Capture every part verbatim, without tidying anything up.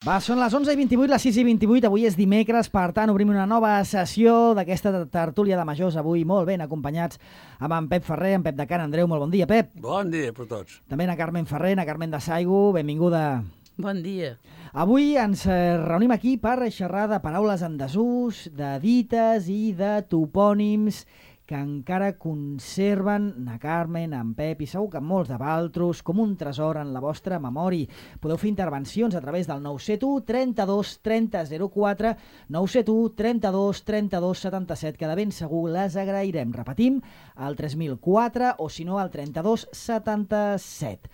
Va, són les onze i vint-i-vuit, les sis i vint-i-vuit, avui és dimecres, per tant obrim una nova sessió d'aquesta tertúlia de majors, avui molt ben acompanyats amb en Pep Ferrer, en Pep de Can Andreu. Molt bon dia, Pep. Bon dia per tots. També na Carmen Ferrer, na Carmen de Saigo, benvinguda. Bon dia. Avui ens reunim aquí per xerrar de paraules en desús, de dites i de topònims que encara conserven na Carmen, en Pep i segur que molts de vosaltres com un tresor en la vostra memòria. Podeu fer intervencions a través del nou set u, trenta-dos, trenta, zero quatre, nou set u, trenta-dos, trenta-dos, setanta-set, que de ben segur les agrairem. Repetim, al tres mil quatre o si no al trenta-dos, setanta-set.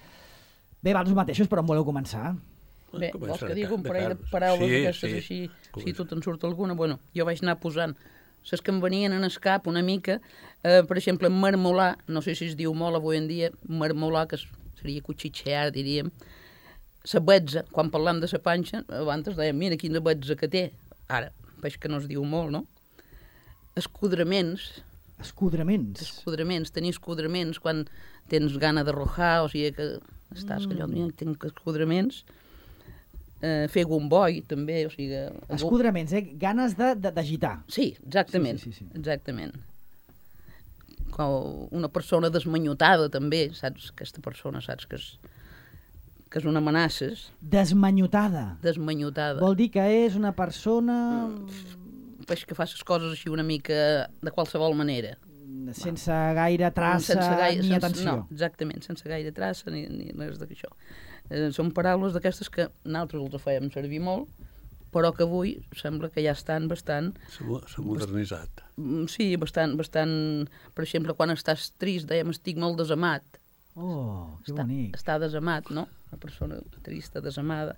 Bé, vosaltres mateixos, però on voleu començar? Bé, vols que digui un parell de paraules sí, d'aquestes sí. així, si tu te'n surt alguna? Bueno, jo vaig anar posant les que em venien en el cap una mica, eh, per exemple, marmolar, no sé si es diu molt avui en dia, marmolar, que seria cuchitxear, diríem, la betza, quan parlam de la panxa, abans dèiem, mira quina betza que té, ara, veig que no es diu molt, no? Escudraments. Escudraments? Escudraments, tenir escudraments quan tens gana de rojar, o sigui que estàs, mm. que jo tinc escudraments. Uh, fer gomboi, també, o sigui... Escudraments, eh? Ganes d'agitar. Sí, exactament, sí, sí, sí, sí. exactament. Com una persona desmanyotada, també, saps? Aquesta persona, saps? Que és, que és una amenaça. Desmanyotada? Desmanyotada. Vol dir que és una persona... Mm, pues que fa les coses així una mica de qualsevol manera. Sense gaire traça sense gaire, ni sense, atenció. No, exactament, sense gaire traça ni, ni res d'això. Eh, són paraules d'aquestes que nosaltres els fèiem servir molt, però que avui sembla que ja estan bastant... S'ha modernitzat. Bast... Sí, bastant, bastant... Per exemple, quan estàs trist, dèiem, estic molt desamat. Oh, que està, bonic. Està desamat, no? Una persona trista, desamada.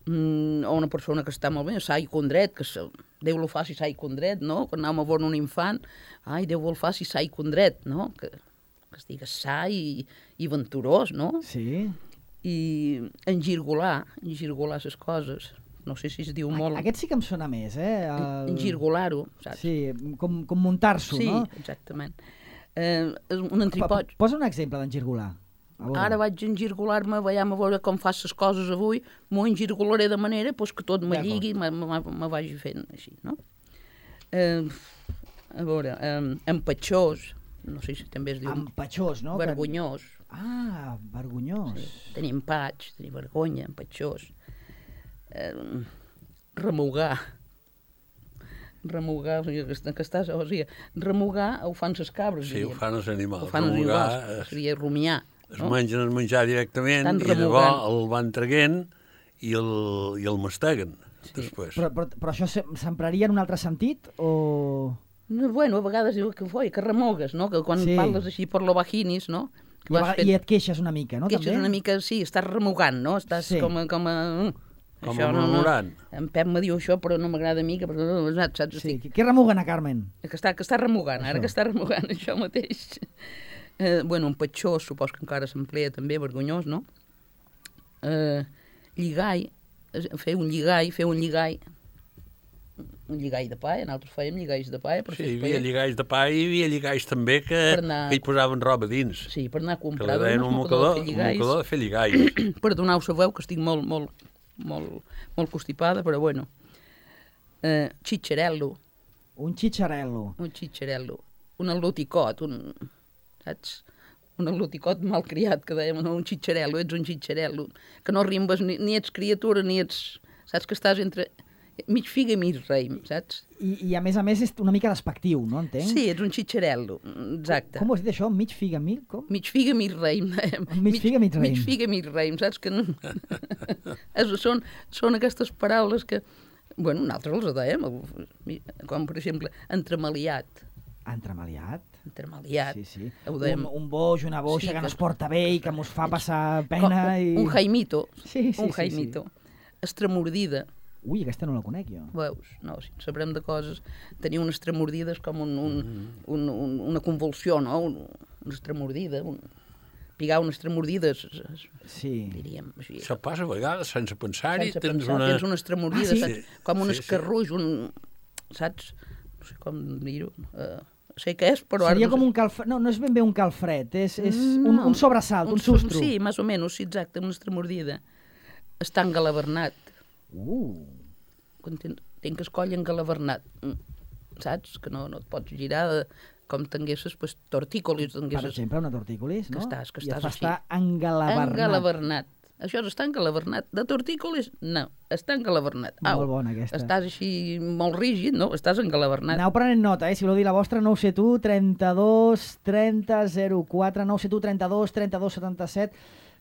Mm, o una persona que està molt bé, sa i condret, que se... Déu lo faci sa i condret, no? Quan anàvem a veure un infant, ai, Déu vol faci sa i condret, no? Que, que estigues sa i, i venturós, no? Sí. I engirgolar, engirgolar les coses. No sé si es diu molt... Aquest sí que em sona més, eh? El... Engirgolar-ho, saps? Sí, com, com muntar-s'ho, sí, no? Sí, exactament. Eh, un entripot... Posa un exemple d'engirgolar. Ara vaig engirgolar-me, veiem a veure com fas les coses avui, m'ho engirgolaré de manera pues, que tot me lligui i me, me, me vagi fent així, no? Eh, a veure, eh, empatxós, no sé si també es diu... Empatxós, no? Vergonyós. Ah, vergonyós. Sí. Tenir empaig, tenir vergonya, empatxós. Eh, remugar. Remugar, o sigui, que, que estàs, o sigui, remugar ho fan les cabres. Sí, diríem. Ho fan els animals. Ho fan remugar, els animals, es... seria rumiar. Es no? mengen el menjar directament i llavors el van traient i el, i el masteguen sí. després. Però, però, però això s'empraria en un altre sentit o...? No, bueno, a vegades diu que, foi, que remogues, no? Que quan sí. parles així per lo vaginis, no? I, fet... I et queixes una mica, no? Queixes també? una mica, sí, estàs remugant, no? Estàs sí. com a... Com a... Com això, a murmurant. No, no. En Pep me diu això, però no m'agrada a mi, que saps? saps sí. Què remuguen a Carmen? Que està, que està remugant, això. Ara que està remugant, això mateix. Eh, bueno, un patxó, supos que encara s'emplea també, vergonyós, no? Eh, lligall, fer un lligall, fer un lligall, un lligall de pa, nosaltres fèiem lligalls de pa. Sí, hi havia lligalls de pa i hi havia lligalls també que, anar... que hi posaven roba dins. Sí, per anar a comprar. Que li deien un mocador, un mocador de fer lligalls. Perdoneu, sabeu que estic molt, molt, molt, molt constipada, però bueno. Eh, xitxarel·lo. Un xitxarel·lo. Un xitxarel·lo. Un al·loticot, un... saps? Un al·loticot malcriat, que dèiem, no, un xitxarel·lo, ets un xitxarel·lo, que no rimbes, ni, ni ets criatura, ni ets... Saps que estàs entre mig figa i mig raïm, saps? I, I a més a més és una mica despectiu, no entenc? Sí, ets un xitxarel·lo, exacte. Com, com ho has dit això? Mig figa, mig... Com? Mig figa, mig raïm, dèiem. Mig figa, mig raïm. Mig figa, mig raïm, saps? Que no... són, són aquestes paraules que... Bueno, nosaltres les dèiem, com per exemple, entremaliat. Entremaliat? Entremaliat. Sí, sí. Un, un boix, una boixa sí, que, que no es porta bé i que mos fa passar pena. Com, i... Un jaimito. Sí, sí, un jaimito. Sí, sí. Estremordida. Ui, aquesta no la conec jo. Veus? No, si sabrem de coses. Tenir una estremordida és com un, un, un, un, una convulsió, no? Un, una estremordida. Un... Pigar una estremordida, sí. diríem. Així. Això passa a vegades, sense pensar-hi. Sense tens, pensar, una... tens una estremordida, ah, sí? saps? Com un sí, escarruix, sí. un... Saps? No sé com dir-ho. Uh, sé què és, però... Seria ara no com sé. un calfred... No, no és ben bé un calfred, és, és no, un, un sobresalt, un, un sustro. Sí, més o menys, sí, exacte, una estremordida. Estar engalavernat. Uh! Quan ten, tenc el coll engalavernat, saps? Que no, no et pots girar de, com tinguessis pues, tortícolis. Tinguessis... Per exemple, una tortícolis, no? Que estàs, que I estàs et fa així. estar engalavernat. Engalavernat. Això és estar engalavernat. De tortícolis, no. Està engalavernat. Au, molt bona, aquesta. Estàs així molt rígid, no? Estàs engalavernat. Aneu prenent nota, eh? Si voleu dir la vostra, nou set u, trenta-dos, trenta, zero quatre, nou set u, trenta-dos, trenta-dos, setanta-set.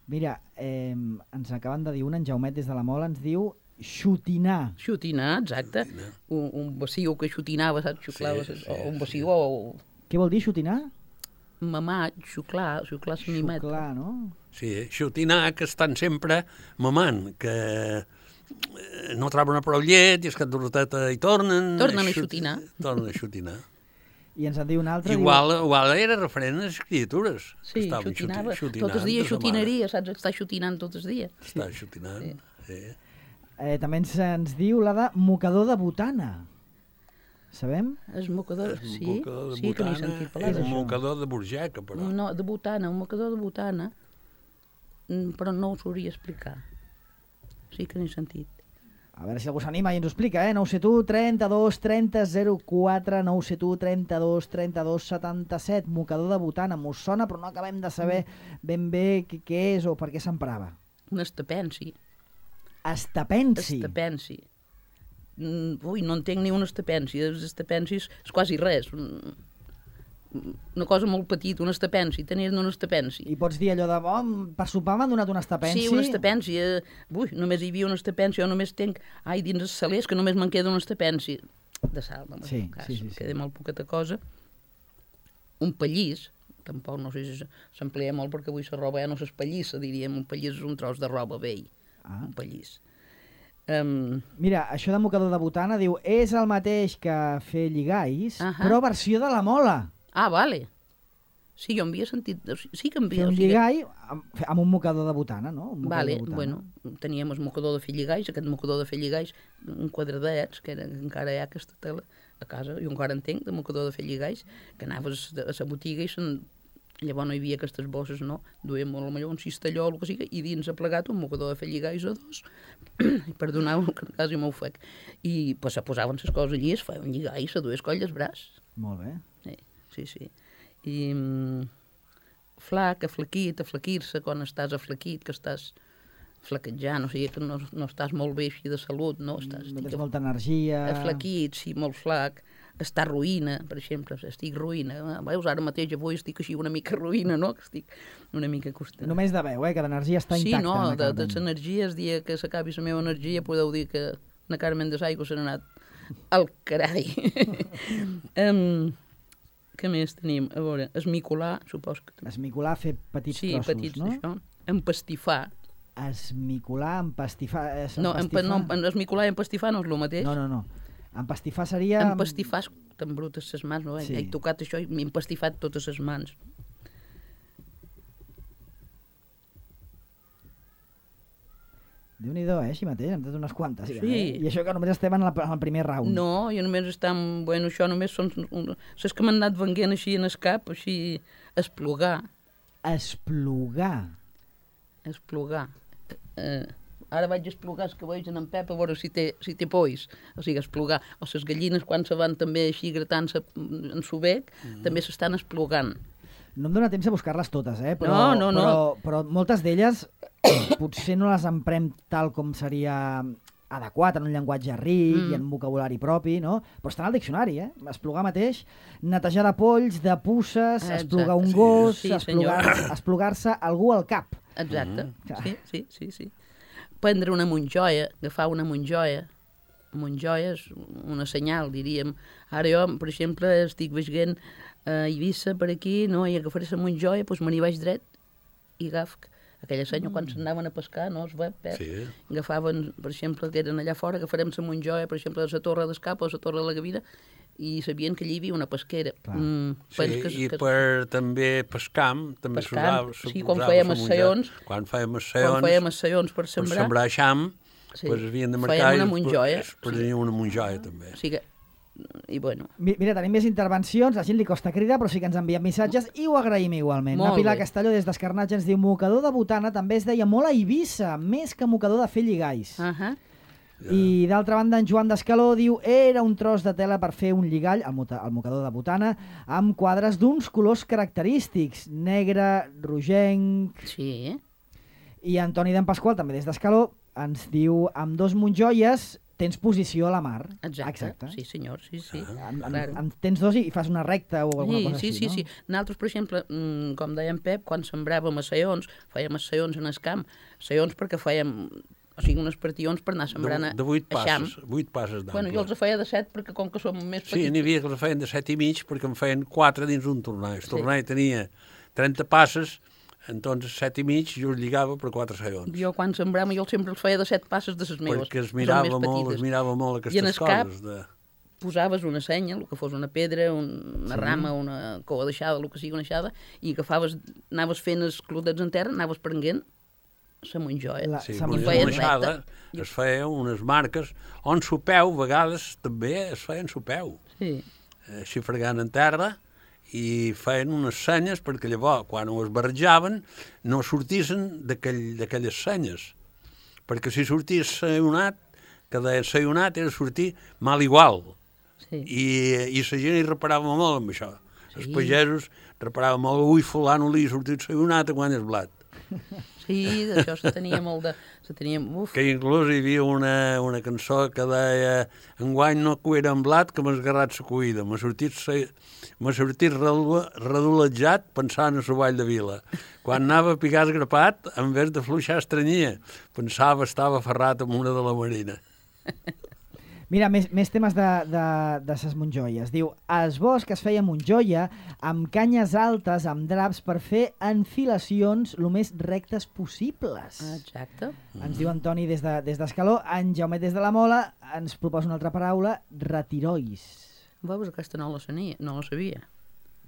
Mira, eh, ens acaben de dir un, en Jaumet des de la Mola, ens diu xotinar. Xotinar, exacte. Xotinar. Un, un baciu que xotinava, saps? Xuclava, Sí, sí, o un baciu sí. o... Què vol dir xotinar? Mamar, xuclar, xuclar la mimeta. Xuclar, no? Sí, xotinar, que estan sempre mamant, que no troben prou llet i és que doroteta hi tornen... Tornen a xotinar. Tornen a xotinar. I ens en diu un altre... Igual, diu... igual era referent a les criatures. Sí, xotinava. Tot el dia xotinaria, saps? Està xotinant tot el dia. Està xotinant, sí. sí. Eh, també ens, ens diu la de mocador de botana. Sabem? És mocador, És sí, mocador de sí que n'he botana, sentit parlar és un d'això. mocador de burgeca, però. No, de botana, un mocador de botana, però no ho sabria explicar. Sí que n'he sentit. A veure si algú s'anima i ens ho explica, eh? nou set u, trenta-dos, trenta, zero quatre, nou set u, trenta-dos, trenta-dos, setanta-set, mocador de botana. M'ho sona, però no acabem de saber ben bé què, què és o per què s'emprava. Un estapensi. Estapensi? Estapensi. Mm, ui, no entenc ni un estapensi. Els estapensis és quasi res. Una cosa molt petita, un estapensi. Tenir un estapensi. I pots dir allò de, oh, per sopar m'han donat un estapensi? Sí, un estapensi. Eh, ui, només hi havia un estapensi. Jo només tenc, ai, dins els salers, que només me'n queda un estapensi. De sal, no sí, cas, sí, sí, sí. queda molt poqueta cosa. Un pallís, tampoc no sé si s'emplia molt perquè avui la roba ja no s'espallissa, diríem. Un pallís és un tros de roba vell. Ah. Un pallís. Um... Mira, això de mocador de botana diu és el mateix que fer lligais, uh -huh. però versió de la mola. Ah, vale. Sí, jo havia sentit... Sí que havia... Fer un o sigui... lligall amb, amb un mocador de botana, no? Un Vale, de botana. bueno, teníem el mocador de fer lligais, aquest mocador de fer lligais, un quadradets, que era, encara hi ha aquesta tela a casa, jo encara en tenc, de mocador de fer lligais, que anaves a la botiga i se'n... Llavors no hi havia aquestes bosses, no? Duem molt millor un cistalló o el que sigui, i dins ha plegat un mocador de fer lligais o dos, perdoneu, que quasi m'ho fec. I pues, se posaven les coses allí, es feia un lligall, se dues colles braç. Molt bé. Sí, sí, sí. I mm, flac, aflaquit, aflaquir-se quan estàs aflaquit, que estàs flaquejant, o sigui que no, no estàs molt bé així de salut, no? Estàs, no tens molta energia... Aflaquit, sí, molt flac. Estar ruïna, per exemple, estic ruïna. Veus, ara mateix avui estic així una mica ruïna, no? Que estic una mica costant. Només de veu, eh? Que l'energia està sí, intacta. Sí, no, de, de l'energia, el dia que s'acabi la meva energia, podeu dir que na Carmen de Saigo se n'ha anat al carai. um, què més tenim? A veure, esmicolar, supos que... Esmicolar, fer petits sí, trossos, petits, no? Sí, petits, això. Empastifar. Esmicolar, empastifar... Eh, no, empastifar. no, esmicolar i empastifar no és el mateix. No, no, no. Empastifar seria... Empastifar, t'embrutes les mans, no? Sí. He tocat això i m'he empastifat totes les mans. Déu-n'hi-do, eh, així mateix, hem tret unes quantes. Sí. Ja, eh? I això que només estem en, la, en el primer round. No, jo només estem... Bueno, això només són... Saps que m'han anat venguent així en el cap, així... Esplugar. Esplugar. Esplugar. Eh... Ara vaig esplugar els cabells en en Pep a veure si té, si té pois. O sigui, esplugar. O les gallines, quan se van també així gratant-se en su bec, mm. també s'estan esplugant. No em dóna temps a buscar-les totes, eh? Però, no, no, no. Però, però moltes d'elles potser no les emprem tal com seria adequat, en un llenguatge ric mm. i en un vocabulari propi, no? Però estan al diccionari, eh? Esplugar mateix, netejar de polls, de puces, exacte, esplugar un gos, sí, esplugar-se esplugar algú al cap. Exacte, mm. sí, sí, sí, sí. Prendre una monjoia, agafar una monjoia. Monjoia és una senyal, diríem. Ara jo, per exemple, estic veient a Eivissa per aquí, no? I agafaré la monjoia, doncs me n'hi vaig dret i agaf aquella senya mm. quan s'anaven a pescar, no? Es web, eh? Sí. Agafaven, per exemple, que eren allà fora, agafarem la monjoia, per exemple, a la Torre d'Escapa o a la Torre de la Gavina, i sabien que allà hi havia una pesquera. Mm, sí, que, i que... per també pescam, també s'usava. Sí, quan fèiem assaions. Quan fèiem assaions. Quan fèiem assaions per sembrar. Per sembrar xam, sí. Pues havien de marcar... Fèiem una monjoia. Per tenir una monjoia, també. O sigui que, i bueno... Mira, tenim més intervencions, la gent li costa cridar, però sí que ens envien missatges i ho agraïm igualment. Molt la Pilar bé. Castelló, des d'Escarnatge, ens diu mocador de botana també es deia molt a Eivissa, més que mocador de fer lligais. Uh -huh. Ja. I d'altra banda, en Joan d'Escaló diu era un tros de tela per fer un lligall, el, mota, el mocador de botana, amb quadres d'uns colors característics, negre, rogenc... Sí. I Antoni d'en Pasqual, també des d'Escaló, ens diu amb dos monjoies tens posició a la mar. Exacte, Exacte. sí senyor, sí, sí. Ah. En, en, en, tens dos i fas una recta o alguna sí, cosa sí, així, sí, no? Sí, sí. Nosaltres, per exemple, com deia en Pep, quan sembràvem a saions, fèiem a saions en el camp, saions perquè fèiem... O sigui, unes partions per anar sembrant a, de, de vuit a xam. passes, vuit passes d'ample. Bueno, jo els feia de set perquè com que som més petits... Sí, n'hi havia que els feien de set i mig perquè em feien quatre dins un torneig. El torneig sí. tenia trenta passes, entonces set i mig jo els lligava per quatre saions. Jo quan sembrava jo sempre els feia de set passes de les meves. Perquè es mirava molt, es mirava molt aquestes coses. De... posaves una senya, el que fos una pedra, una sí. rama, una coa deixada, el que sigui una aixada, i agafaves, anaves fent els clodets en terra, anaves prenguent la monjoia. La, sí, una aixada es feia unes marques on sopeu, a vegades també es feien sopeu. Sí. Així fregant en terra i feien unes senyes perquè llavors, quan ho es barrejaven, no sortissin d'aquelles senyes. Perquè si sortís sayonat, que deien sayonat era sortir mal igual. Sí. I, i la gent hi reparava molt amb això. Sí. Els pagesos reparaven molt, ui, fulano li ha sortit sayonat a quan és blat. Sí, d'això se tenia molt de... Se tenia... Uf. Que inclús hi havia una, una cançó que deia enguany no cuira en blat que m'ha esgarrat la cuida. M'ha sortit, m'ha sortit redolejat pensant a la vall de Vila. Quan anava a picar esgrapat, en vez de fluixar estranyia, pensava estava ferrat amb una de la Marina. Mira, més, més temes de, de, de ses monjoies. Diu, es bosc es feia monjoia amb canyes altes, amb draps, per fer enfilacions el més rectes possibles. Exacte. Ens diu Antoni des de, des d'Escaló. En Jaumet des de la Mola ens proposa una altra paraula, retirois. Veus, aquesta no la sabia. No la sabia.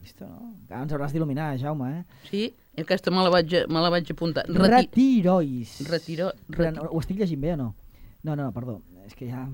Visto, no? Ara ens hauràs d'il·luminar, Jaume, eh? Sí, aquesta me la vaig, me la vaig apuntar. Reti... Retirois. Retiro... Reti... Ho estic llegint bé o no? No, no, perdó. És que ja...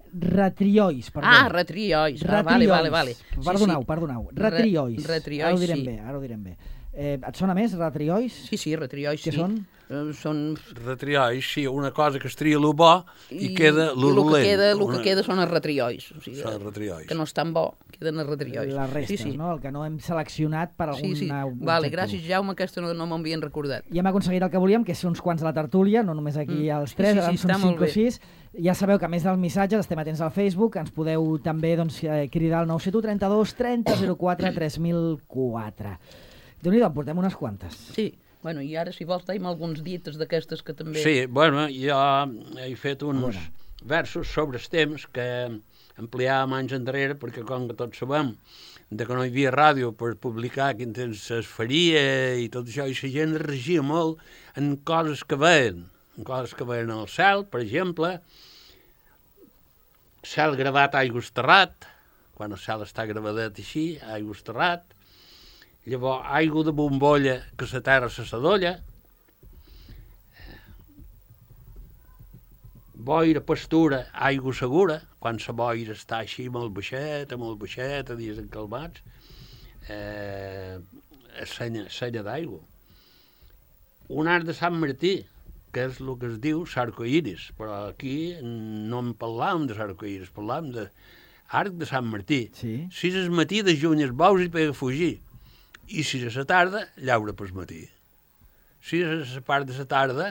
Retriois, perdó. Ah, retriois. Ah, vale, vale, vale. Perdoneu, sí, sí. perdoneu. Retriois. Re, retriois, ara ho direm sí. bé, ara ho direm bé. Eh, et sona més, retriois? Sí, sí, retriois, Què sí. són? Uh, són... Retriois, sí, una cosa que es tria lo bo i, i queda lo dolent. El que queda, una... que queda són els retriois. O sigui, són els retriois. Que no és tan bo, queden els retriois. Les restes, sí, sí. No? El que no hem seleccionat per algun sí, sí. objectiu. Vale, gràcies, Jaume, aquesta no, no m'havien recordat. Ja hem aconseguit el que volíem, que és uns quants a la tertúlia, no només aquí mm. els tres, sí, sí, ara sí, són cinc o sis. Ja sabeu que a més dels missatges estem atents al Facebook, ens podeu també doncs, cridar al nou set u trenta-dos trenta zero quatre tres mil quatre. Déu-n'hi-do, en portem unes quantes. Sí, bueno, i ara si vols tenim alguns dites d'aquestes que també... Sí, bueno, jo he fet uns versos sobre els temps que ampliàvem anys enrere, perquè com que tots sabem de que no hi havia ràdio per publicar quin temps es faria i tot això, i la gent regia molt en coses que veien, en coses que veien al cel, per exemple, cel gravat aigües terrat, quan el cel està gravadet així, aigües terrat, llavors aigua de bombolla que la terra se s'adolla, boira, pastura, aigua segura, quan la boira està així molt baixeta, molt baixeta, dies encalmats, eh, senya, senya d'aigua. Un arc de Sant Martí, que és el que es diu sarcoiris, però aquí no en parlàvem de sarcoiris, parlàvem d'arc de Sant Martí. Sí. Si és matí de juny els bous i pega a fugir, i si és a la tarda, llaura pel matí. Si és a la part de la tarda,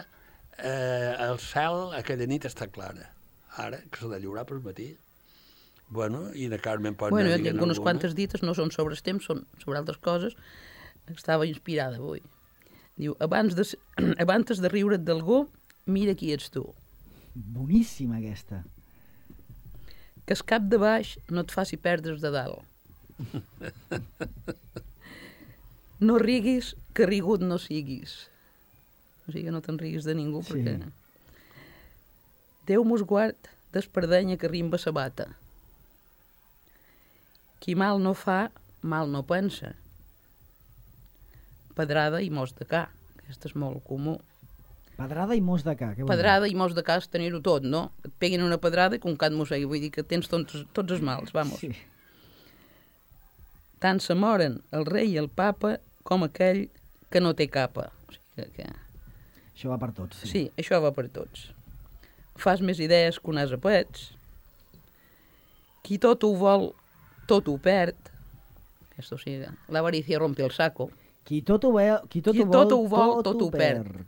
eh, el cel aquella nit està clara. Ara, que s'ha de llaurar pel matí. Bueno, i la Carmen pot bueno, anar dient alguna. Bueno, unes quantes dites no són sobre el temps, són sobre altres coses. Estava inspirada avui. Diu, abans de, abans de riure't d'algú, mira qui ets tu. Boníssima aquesta. Que el cap de baix no et faci perdre's de dalt. No riguis, que rigut no siguis. O sigui, no te'n riguis de ningú, sí. Perquè... Déu mos guard d'espardenya que rimba sa bata. Qui mal no fa, mal no pensa. Pedrada i mos de ca. Aquest és molt comú. Pedrada i mos de ca. Què pedrada i mos de ca és tenir-ho tot, no? Et peguin una pedrada i com cat mossegui. Vull dir que tens tots, tots els mals, vamos. Sí. Tant se moren el rei i el papa com aquell que no té capa. O sigui que... Això va per tots. Sí. Sí, això va per tots. fas més idees que un ase pets. Qui tot ho vol, tot ho perd. Aquesta, o sigui, l'avaricia rompe el saco. Qui tot ho, ve, qui tot qui ho vol, tot ho, vol, tot, tot ho perd. perd.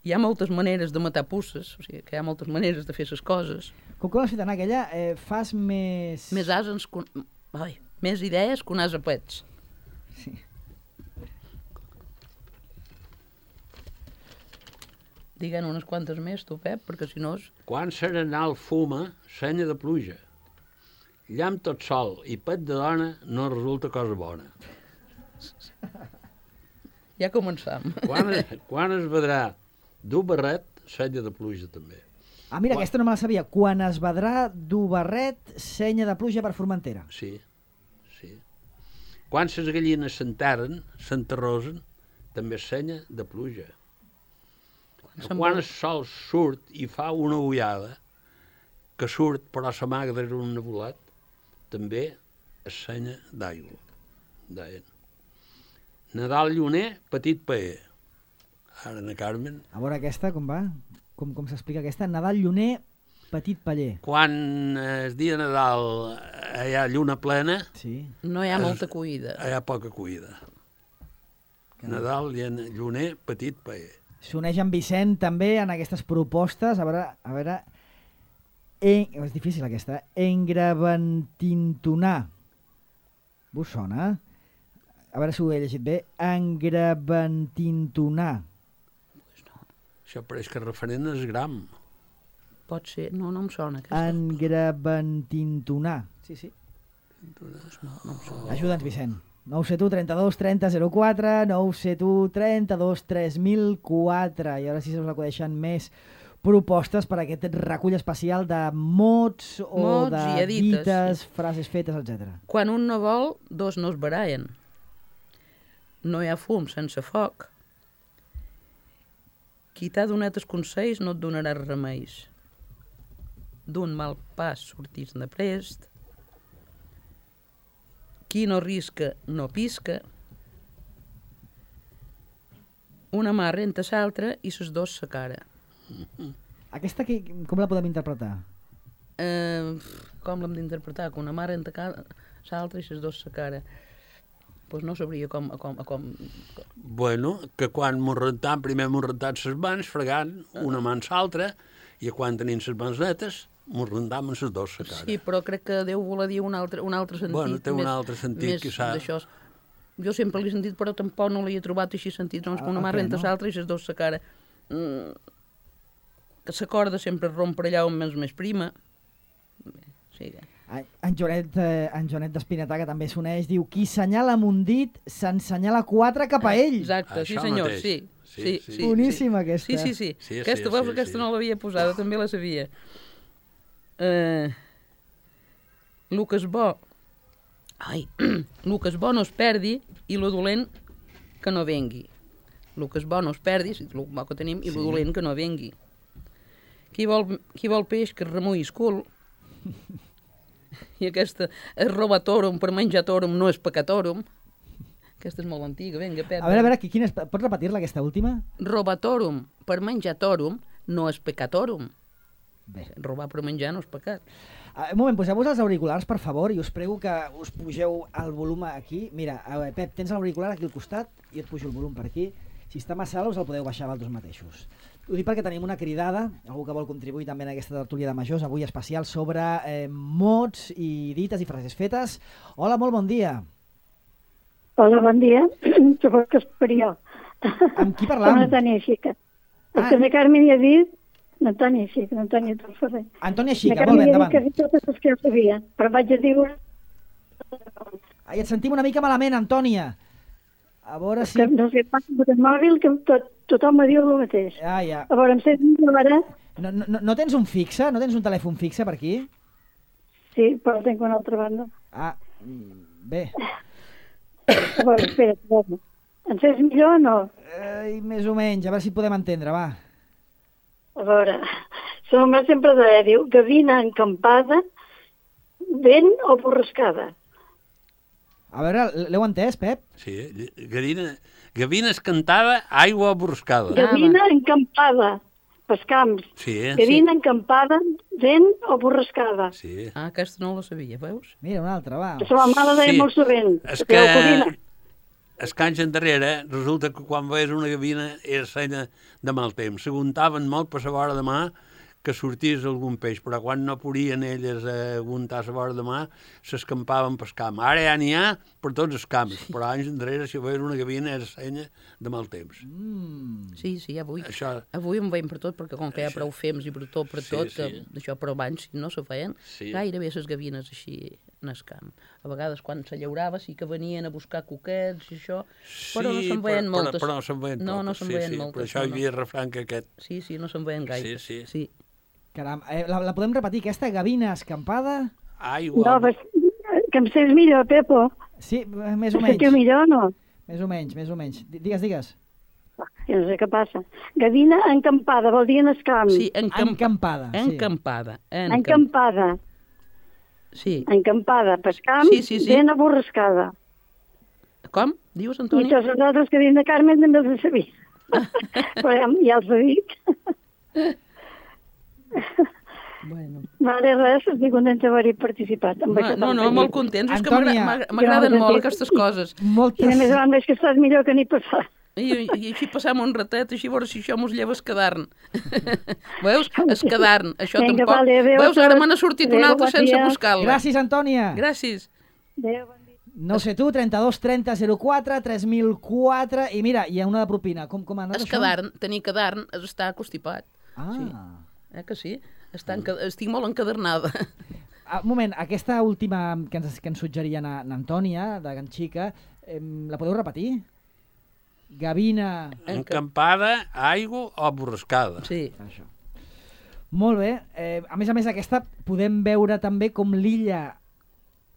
Hi ha moltes maneres de matar pusses, o sigui, que hi ha moltes maneres de fer les coses. Com que l'has fet anar aquella, eh, fas més... Més ases... Que... Ai, més idees que un ase pets. Sí. Digue'n unes quantes més, tu, Pep, perquè si no... És... Quan serenal fuma, senya de pluja. Llamp tot sol i pet de dona no resulta cosa bona. Ja començam. Quan, quan es vedrà dur barret, senya de pluja també. Ah, mira, quan... aquesta no me la sabia. Quan es vedrà dur barret, senya de pluja per Formentera. Sí, sí. Quan ses gallines s'enterren, s'enterrosen, també senya de pluja. Quan, quan el sol surt i fa una ullada, que surt però s'amaga des d'un nebulat, també es senya d'aigua. Deien. Nadal lluner, petit paer. Ara, na Carmen... A veure aquesta, com va? Com, com s'explica aquesta? Nadal lluner, petit paller. Quan el dia de Nadal hi ha lluna plena... Sí. No hi ha es, molta cuida. Hi ha poca cuida. Nadal lluner, petit paer. S'uneix en Vicent també en aquestes propostes. A veure... A veure en... És difícil aquesta. Engraventintonar. Vos sona? A veure si ho he llegit bé. Engraventintonar. Pues no. Això pareix que referent és gram. Pot ser. No, no em sona. Aquesta. Engraventintonar. Sí, sí. Pues no, no em sona. Ajuda'ns, Vicent. nou set u trenta-dos trenta zero quatre, nou set u trenta-dos tres mil quatre. I ara sí se us acudeixen més propostes per a aquest recull especial de mots o mots de dites, dites, sí. frases fetes, etcètera. Quan un no vol, dos no es barallen. No hi ha fum sense foc. Qui t'ha donat els consells no et donarà remeis. D'un mal pas sortís de prest. Qui no risca, no pisca. Una mà renta l'altra i ses dos sa cara. Aquesta que, com la podem interpretar? Eh, com l'hem d'interpretar? Que una mà renta l'altra i ses dos sa cara. Pues no sabria com... com, com... Bueno, que quan mos rentam, primer mos rentam ses mans, fregant una mà en l'altra, i quan tenim ses mans netes, mos rentam en ses dos sa cara. Sí, però crec que Déu voler dir un altre, un altre sentit. Bueno, té un més, altre sentit, quizà. Jo sempre l'he sentit, però tampoc no l'he trobat així sentit. Doncs que una mà renta l'altra i ses dos sa cara. Mm, que la corda sempre romp per allà on és més prima. Sí, que... En Joanet, eh, en Joanet d'Espinetà, que també s'uneix, diu: qui senyala amb un dit, s'ensenyala quatre cap a ell. Exacte, sí senyor, sí. Sí, sí, sí. sí. Boníssima aquesta. Sí, sí, sí. sí, aquesta, sí, veus, sí, aquesta sí. no l'havia posada, també la sabia. Uh, Lucas bo. Ai, Lucas bo no es perdi i lo dolent que no vengui. Lucas bo no es perdi, si el bo que tenim, i lo dolent que no vengui. Qui vol, qui vol peix que es remuï el cul. I aquesta és robatorum per menjatorum no és pecatorum. Aquesta és molt antiga, vinga, Pep. A veure, a veure, quina és... pots repetir-la, aquesta última? Robatorum per menjatorum no és pecatorum. Bé. Robar per menjar no és pecat. Uh, un moment, poseu-vos els auriculars, per favor, i us prego que us pugeu el volum aquí. Mira, uh, Pep, tens l'auricular aquí al costat, i et pujo el volum per aquí. Si està massa alt, us el podeu baixar vosaltres mateixos. Ho dic perquè tenim una cridada, algú que vol contribuir també en aquesta tertúlia de majors, avui especial sobre eh, mots i dites i frases fetes. Hola, molt bon dia. Hola, bon dia. Suposo que és per jo. Amb qui parlam? Amb Antònia Xica. Ah. El que la Carmen hi ha dit, Antònia Xica, Antònia Torferrer. Antònia Xica, molt bé, endavant. La Carmen hi ha dit totes les que jo sabia, però vaig a dir una... Ai, et sentim una mica malament, Antònia. A veure si... Que no sé, amb el mòbil, que tot, tothom me diu el mateix. Ah, ja. A veure, em sents millor ara? No, no, no tens un fixe? No tens un telèfon fixe per aquí? Sí, però tinc una altra banda. Ah, bé. A veure, espera, espera. Em sents millor o no? Eh, més o menys, a veure si podem entendre, va. A veure, la mare sempre deia, diu, gavina encampada, vent o borrascada. A veure, l'heu entès, Pep? Sí, gavina, gavina escantada, aigua borrascada. Gavina encampada. pels camps. Sí, Gavina sí. encampada, vent o borrascada. Sí. Ah, aquesta no la sabia, veus? Mira, una altra, va. La seva mare deia Sí. molt sovint. És que... que es canxa endarrere, resulta que quan veies una gavina era senya de mal temps. S'aguntaven molt per la vora de mà que sortís algun peix, però quan no podien elles aguntar la vora de mà, s'escampaven pel camp. Ara ja n'hi ha per tots els camps, sí. Però anys endarrere, si veies una gavina, era senya de mal temps. Mm. Sí, sí, avui, Això... avui en veiem per tot, perquè com que hi ha prou fems i per tot, per Sí, tot, sí. que d'això, però abans no se feien Sí. gairebé les gavines així en el camp. A vegades quan se llaurava sí que venien a buscar coquets i això, però no se'n veien però, moltes. Però, però no se'n veien no, no totes, se'n sí, veien sí, moltes. Per això no, hi havia el refrany que aquest... Sí, sí, no se'n veien gaire. Sí, sí. sí. Caram, eh, la, la podem repetir, aquesta gavina escampada? Aigua... No, pues, que em saps millor, Pepo. Sí, eh, més o Em menys. sentiu millor o no? Més o menys, més o menys. Di- Digues, digues. Jo no sé què passa. Gavina encampada, vol dir en el camp. Sí, encamp... Encampada, sí. Encampada. Encamp... Encampada. Sí. Encampada, pel camp, Sí, sí, sí. ben aborrascada. Com? Dius, I Antoni? tots els altres que diuen de Carmen també els sabia. Però ja, ja els he dit. Bueno. Vale, res, estic contenta d'haver-hi participat. Amb No, aquest no, no, entrevista. molt contents. És que Antònia. m'agra- m'agra- m'agraden Jo, molt sí. aquestes coses. I a Moltes... més a banda és que estàs millor que ni passar. I, i així passam un ratet, així a veure si això mos lleva escadarn. Veus? Escadarn. Això Vinga, tampoc... vale, adéu a Veus, ara tots. me n'ha sortit Adéu, una altra bon sense dia. buscar-la. Gràcies, Antònia. Gràcies. Adéu, bon dia. No sé tu, trenta-dos trenta zero quatre tres mil quatre i mira, hi ha una de propina. Com, com ha anat això? Escadarn, tenir cadarn, és estar constipat. Ah. Sí. Eh que sí? Està enca... Estic molt encadernada. Ah, un moment, aquesta última que ens, que ens suggeria na, na Antònia, de Can Xica, eh, la podeu repetir? Gavina... Encampada, aigua o borrascada. Sí. Això. Molt bé. Eh, a més a més, aquesta podem veure també com l'illa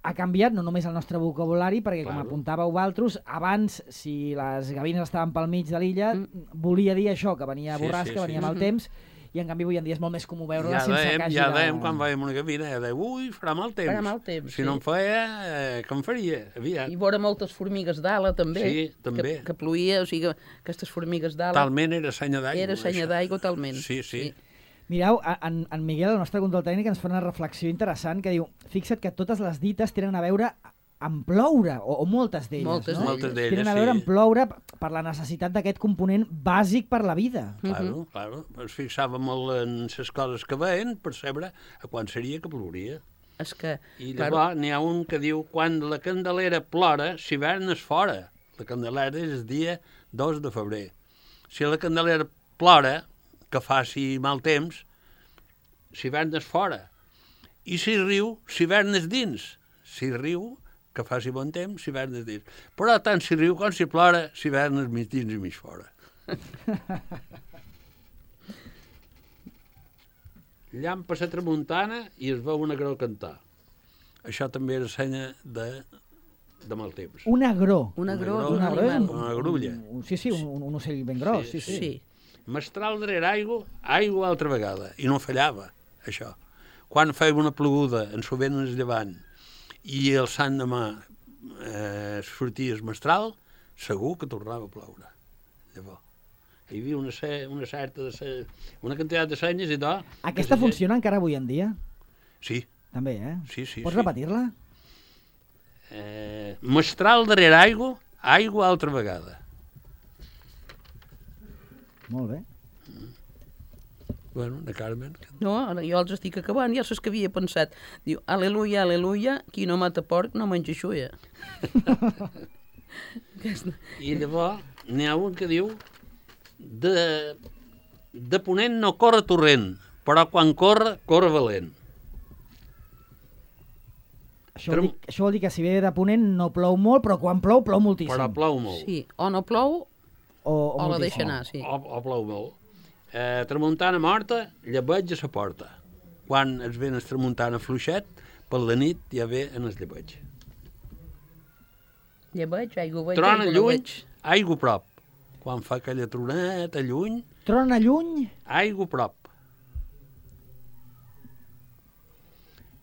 ha canviat, no només el nostre vocabulari, perquè com Claro. apuntàveu vosaltres, abans, si les gavines estaven pel mig de l'illa, Mm. volia dir això, que venia Sí, borrasca, sí, sí. venia mal Mhm. temps, i en canvi avui en dia és molt més comú veure-la Ja sense dèiem, que hagi ja de... dèiem quan veiem una gavina, ja dèiem, ui, farà mal temps. Farà mal temps, Si sí. no en feia, eh, què en faria? Aviat. I vora moltes formigues d'ala, també. Sí, també. Que, que ploïa, o sigui, que aquestes formigues d'ala... Talment era senya d'aigua. Era senya això. d'aigua, talment. Sí, sí. Mireu, a- en, en Miguel, el nostre control tècnic, ens fa una reflexió interessant que diu, fixa't que totes les dites tenen a veure amb ploure, o, o moltes d'elles, Moltes no? Moltes d'elles, Tenen a veure sí. amb ploure per la necessitat d'aquest component bàsic per la vida. Claro, claro. Es fixava molt en les coses que veien per saber a quan seria que plouria. És que... I claro, llavors n'hi ha un que diu quan la Candelera plora, l'hivern és fora. La Candelera és el dia dos de febrer. Si la Candelera plora, que faci mal temps, l'hivern és fora. I si riu, l'hivern és dins. Si riu, que faci bon temps, l'hivern és dins. Però tant si riu com si plora, l'hivern és mig dins i mig fora. Llampa la tramuntana i es veu una grau cantar. Això també era senya de, de mal temps. Un agró. un agró Una és un agró és animal. Una grulla. Un, sí, sí, un, un ocell ben gros. Sí, sí. Sí. Mestral darrere aigua, aigua altra vegada. I no fallava, això. Quan feia una ploguda, en sovint es llevant, i el sant demà eh, sortia el mestral, segur que tornava a ploure. Llavors, hi havia una, ce- una certa, de ce- una quantitat de senyes i tot. Aquesta que se- funciona encara avui en dia? Sí, També, eh? sí, sí. Pots sí. repetir-la? Eh, mestral darrere aigua, aigua altra vegada. Molt bé. Bueno, de Carmen. No, ara jo els estic acabant, ja saps que havia pensat. Diu, aleluia, aleluia, qui no mata porc no menja xuia. Aquesta... I llavors n'hi ha un que diu de, de ponent no corre torrent, però quan corre, corre valent. Això vol, dir, això vol dir que si ve de ponent no plou molt, però quan plou, plou moltíssim. Però plou molt. Sí, o no plou O, o, o la moltíssim. deixa anar, sí. O, o plou molt. Eh, tramuntana morta, llebeig a la porta. Quan es ven el tramuntana fluixet, per la nit ja ve en el llebeig. Llebeig, aigua veig, Trona aigua no lluny, veig. aigua prop. Quan fa aquella troneta lluny, Trona lluny, aigua prop.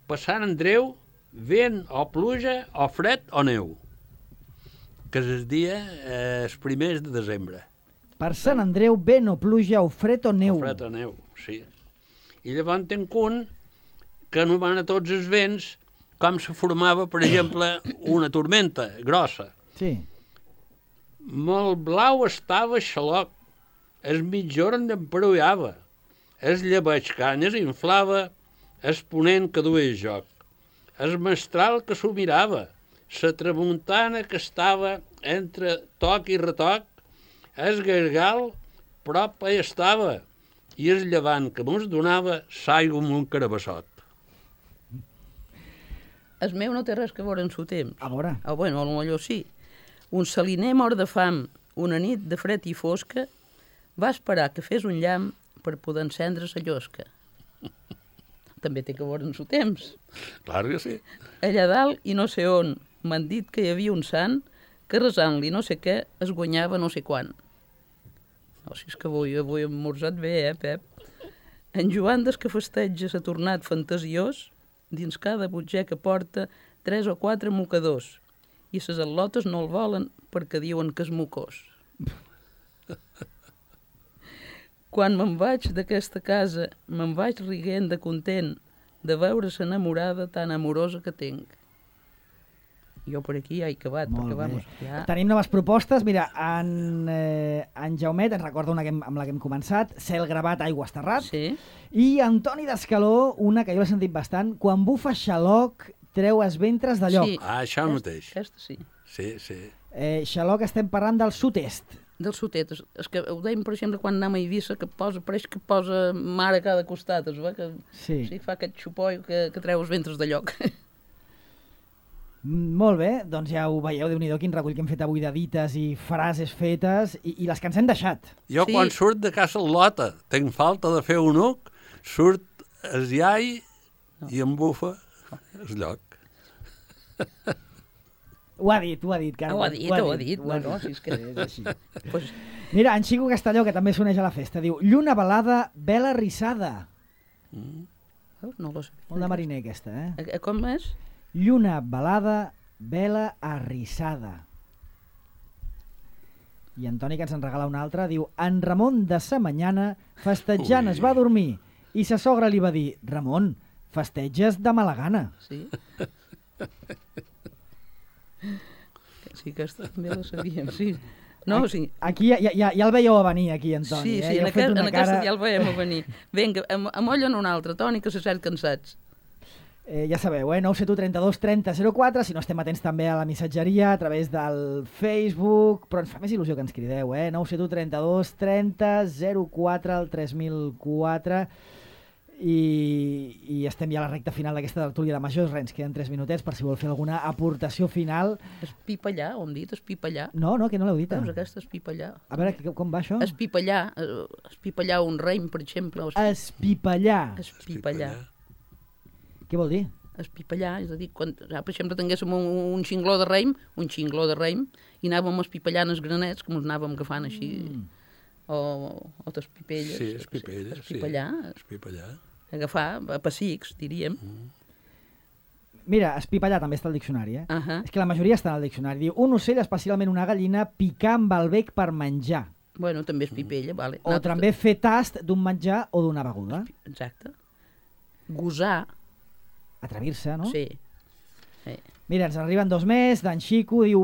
Per Sant Andreu, vent o pluja o fred o neu, que és el dia, eh, els primers de desembre. Per Sant Andreu, vent o pluja o fred o neu. O fred o neu, sí. I llavors tenc un que anomena tots els vents com se formava, per exemple, una tormenta grossa. Sí. Molt blau estava Xaloc, el mitjorn d'emperollava, el llebeig canyes inflava, el ponent que duia joc, el mestral que s'ho mirava, la tramuntana que estava entre toc i retoc, el gargal prop hi estava i el llevant que mos donava s'aigua amb un carabassot. El meu no té res que veure amb su temps. A veure. Ah, bueno, potser sí. Un saliner mort de fam, una nit de fred i fosca, va esperar que fes un llamp per poder encendre la llosca. També té que veure amb su temps. Clar que sí. Allà dalt i no sé on m'han dit que hi havia un sant que resant-li no sé què es guanyava no sé quan. No, si és que avui, avui hem morsat bé, eh, Pep? En Joan des que festeja s'ha tornat fantasiós, dins cada botxer que porta tres o quatre mocadors, i ses al·lotes no el volen perquè diuen que és mocós. Quan me'n vaig d'aquesta casa, me'n vaig riguent de content de veure s'enamorada tan amorosa que tinc. Jo per aquí ja he acabat. Molt perquè, bé. vamos, ja... Tenim noves propostes. Mira, en, eh, en Jaumet ens recorda una que hem, amb la que hem començat, Cel gravat, aigua esterrat. Sí. I Antoni d'Escaló, una que jo l'he sentit bastant, quan bufa Xaloc, treu els ventres de lloc. Sí. Ah, això mateix. Aquesta sí. Sí, sí. Eh, Xaloc estem parlant del sud-est. Del sud-est. És, és que ho dèiem, per exemple, quan anem a Eivissa, que posa, pareix que posa mar a cada costat, es veu que Sí. sí, fa aquest xupoi que, que treu els ventres de lloc. Molt bé, doncs ja ho veieu, Déu-n'hi-do, quin recull que hem fet avui de dites i frases fetes i, i les que ens hem deixat. Jo Sí. quan surt de casa Lota, tenc falta de fer un uc, surt el iai i em bufa el lloc. Ho ha dit, ho ha dit, Carme. Ho ha dit, ho ha dit. Ho ha No, no, dit. si és que- És així. pues, Mira, en Xico Castelló, que també s'uneix a la festa, diu lluna velada, vela rissada. no lo sé. Molt de mariner, aquesta, eh? Eh, Com és? Lluna velada, vela arrissada. I Antoni, que ens en regala una altra, diu en Ramon de sa mañana, festejant Ui. es va dormir i sa sogra li va dir Ramon, festeges de mala gana. Sí. Sí, aquesta també la sabíem, sí. No, sí. Aquí ja, ja, ja el veieu a venir, aquí, Antoni. Sí, eh? sí, Ja en, heu fet aquest, una en aquesta cara- ja el veiem a venir. Vinga, am- amollen un altre, Toni, que se sent cansats. Eh, ja sabeu, eh? nou set u trenta-dos trenta zero quatre, si no estem atents també a la missatgeria, a través del Facebook, però ens fa més il·lusió que ens crideu, eh? nou set u trenta-dos trenta zero quatre al tres mil quatre, i, i estem ja a la recta final d'aquesta tertúlia de majors, res, ens queden tres minutets per si vol fer alguna aportació final. Espipallar, ho hem dit, espipallar. No, no, que no l'heu dit. Veus, aquesta espipallar. A veure, que- com va això? Espipallar, eh, espipallar un reim, per exemple. o espi- Espipallar. Espipallar. Què vol dir? Espipallar, és a dir, quan, ja, per exemple, tinguéssim un, un xingló de raïm, un xingló de raïm, i anàvem espipallant els granets, com els anàvem agafant així, Mm. o, o les pipelles. Sí, espipelles, sí. Espipallar, Espipallar. agafar, a pessics, diríem. Mira, espipallar també està al diccionari, eh? Uh-huh. És que la majoria està al diccionari. Diu, un ocell, especialment una gallina, picar amb el bec per menjar. Bueno, també és pipella, vale. O també fer tast d'un menjar o d'una beguda. Exacte. Gosar, Atrevir-se, no? sí. sí. Mira, ens arriben dos més. D'en Xico diu,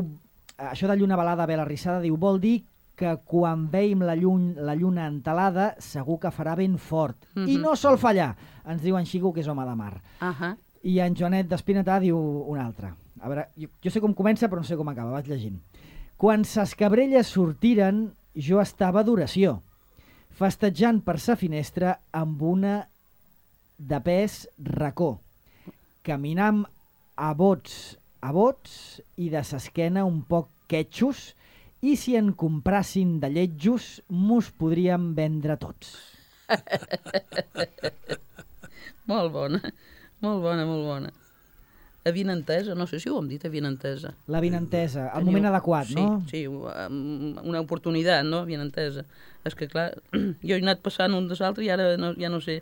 això de lluna velada, vela rissada, diu, vol dir que quan veiem la, llun, la lluna entelada segur que farà ben fort. Mhm. I no sol fallar, ens diu en Xico, que és home de mar. Ahà. I en Joanet d'Espinetà diu una altra. A veure, jo, jo sé com comença, però no sé com acaba, vaig llegint. Quan ses cabrelles sortiren, jo estava d'oració, festejant per sa finestra amb una de pes racó, caminam a bots, a bots i de s'esquena un poc quetxos, i si en comprassin de lletjos, mos podríem vendre tots. Molt bona, molt bona, molt bona. Avinentesa, no sé si ho hem dit, avinentesa. La vinentesa, el Teniu- moment adequat, sí, no? Sí, um, una oportunitat, no? Avinentesa. És que, clar, jo he anat passant un de l'altre i ara no, ja no sé,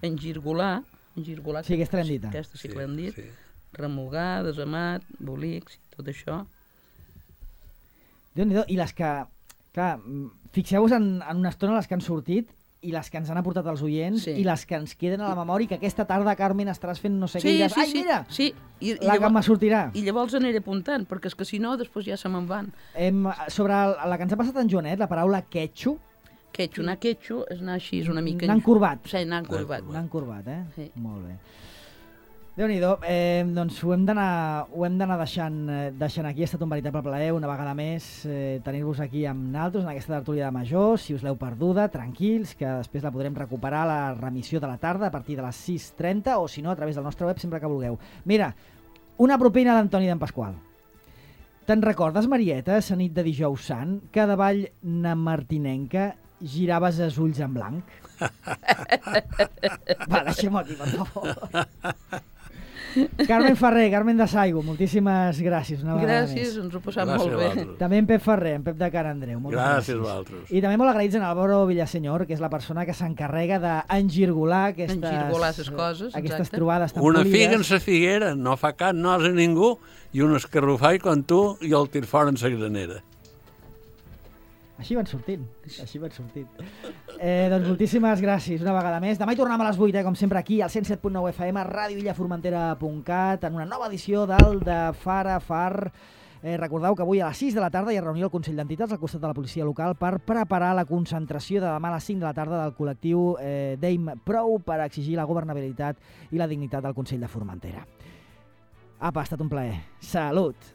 engirgolar, engirgolar... Sí, aquesta l'hem dit. Aquesta sí que l'hem dit. Sí. Remugar, desamat, bolics, tot això. Déu-n'hi-do. I les que, Clar, fixeu-vos en, en una estona les que han sortit i les que ens han aportat els oients sí. i les que ens queden a la memòria, que aquesta tarda, Carmen, estaràs fent no sé sí, què i diràs, sí, ai, mira, sí. I, i la llavors, que me sortirà. I llavors aniré apuntant, perquè és que si no, després ja se me'n van. Hem, sobre el, la que ens ha passat en Joanet, la paraula quetxo. Quetxo, anar quetxo és anar així, és una mica... Anar encorbat. Sí, anar encorbat. Anar encorbat, eh? Sí. Molt bé. Déu-n'hi-do, eh, doncs ho hem d'anar ho hem d'anar deixant, eh, deixant aquí. Ha estat un veritable plaer, una vegada més, eh, tenir-vos aquí amb naltros en aquesta tertúlia de majors. Si us l'heu perduda, tranquils, que després la podrem recuperar a la remissió de la tarda a partir de les sis trenta o si no a través del nostre web sempre que vulgueu. Mira, una propina d'Antoni d'en Pasqual. Te'n recordes, Marieta, la nit de dijous sant, que davall na Martinenca giraves els ulls en blanc? Va, deixem-ho aquí, per favor. Carmen Ferrer, Carmen de Saigo, moltíssimes gràcies. Una gràcies, ens ho passam molt bé. També en Pep Ferrer, en Pep de Can Andreu. Gràcies a vosaltres. I també molt agraïts en Álvaro Villasenyor, que és la persona que s'encarrega d'engirgolar aquestes, engirgolar aquestes coses, aquestes exacte. Trobades tan una polides. figa en sa figuera, no fa cap nos a ningú, i un escarrufall com tu i el tir fora en sa granera. Així van sortint, així van sortint. Eh, doncs moltíssimes gràcies una vegada més. Demà hi tornem a les vuit, eh, com sempre aquí, al cent set punt nou F M, ràdio illa formentera punt cat, en una nova edició del de Far a Far. Eh, recordeu que avui a les sis de la tarda hi ha reunió al Consell d'Entitats al costat de la policia local per preparar la concentració de demà a les cinc de la tarda del col·lectiu eh, Dame Prou per exigir la governabilitat i la dignitat del Consell de Formentera. Apa, ha estat un plaer. Salut!